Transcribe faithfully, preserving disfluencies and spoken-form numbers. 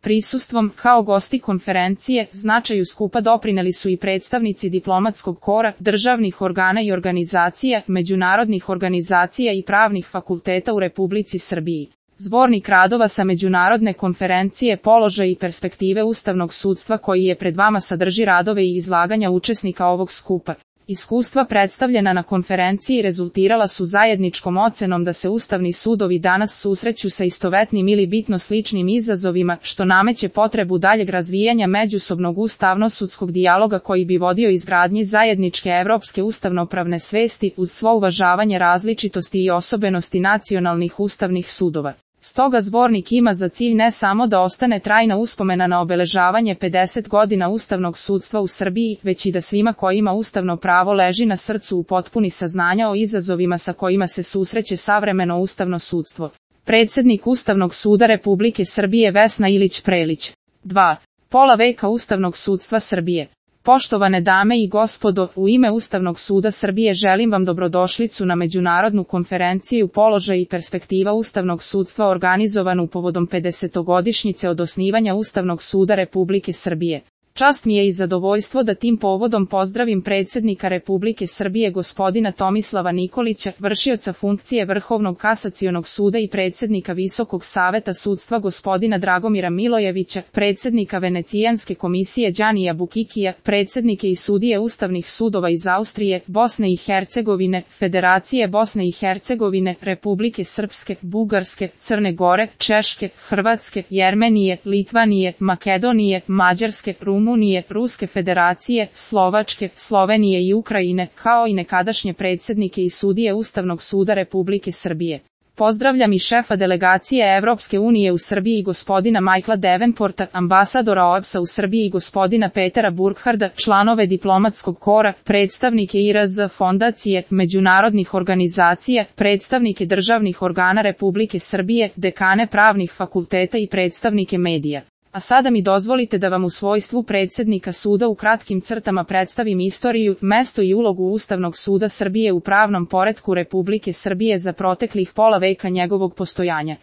Prisustvom, kao gosti konferencije, značaju skupa doprineli su i predstavnici diplomatskog kora, državnih organa i organizacija, međunarodnih organizacija i pravnih fakulteta u Republici Srbiji. Zbornik radova sa međunarodne konferencije Položaj i perspektive ustavnog sudstva koji je pred vama sadrži radove i izlaganja učesnika ovog skupa. Iskustva predstavljena na konferenciji rezultirala su zajedničkom ocenom da se ustavni sudovi danas susreću sa istovetnim ili bitno sličnim izazovima, što nameće potrebu daljeg razvijanja međusobnog ustavno-sudskog dijaloga koji bi vodio izgradnji zajedničke evropske ustavnopravne svesti uz svo uvažavanje različitosti i osobenosti nacionalnih ustavnih sudova. Stoga zbornik ima za cilj ne samo da ostane trajna uspomena na obeležavanje pedeset godina ustavnog sudstva u Srbiji, već i da svima kojima ustavno pravo leži na srcu upotpuni saznanja o izazovima sa kojima se susreće savremeno ustavno sudstvo. Predsednik Ustavnog suda Republike Srbije Vesna Ilić Prelić. dva. Pola veka ustavnog sudstva Srbije. Poštovane dame i gospodo, u ime Ustavnog suda Srbije želim vam dobrodošlicu na međunarodnu konferenciju Položaj i perspektiva ustavnog sudstva organizovanu povodom pedesetogodišnjice od osnivanja Ustavnog suda Republike Srbije. Čast mi je i zadovoljstvo da tim povodom pozdravim predsjednika Republike Srbije gospodina Tomislava Nikolića, vršioca funkcije Vrhovnog kasacionog suda i predsjednika Visokog saveta sudstva gospodina Dragomira Milojevića, predsjednika Venecijanske komisije Đanija Bukikija, predsjednike i sudije ustavnih sudova iz Austrije, Bosne i Hercegovine, Federacije Bosne i Hercegovine, Republike Srpske, Bugarske, Crne Gore, Češke, Hrvatske, Jermenije, Litvanije, Makedonije, Mađarske, Rumunije, Ruske federacije, Slovačke, Slovenije i Ukrajine, kao i nekadašnje predsjednike i sudije Ustavnog suda Republike Srbije. Pozdravljam i šefa delegacije Evropske unije u Srbiji gospodina Michaela Davenporta, ambasadora O E B S-a u Srbiji gospodina Petera Burkharda, članove diplomatskog kora, predstavnike I R Z fondacije, međunarodnih organizacija, predstavnike državnih organa Republike Srbije, dekane pravnih fakulteta i predstavnike medija. A sada mi dozvolite da vam u svojstvu predsjednika suda u kratkim crtama predstavim istoriju, mesto i ulogu Ustavnog suda Srbije u pravnom poretku Republike Srbije za proteklih pola veka njegovog postojanja.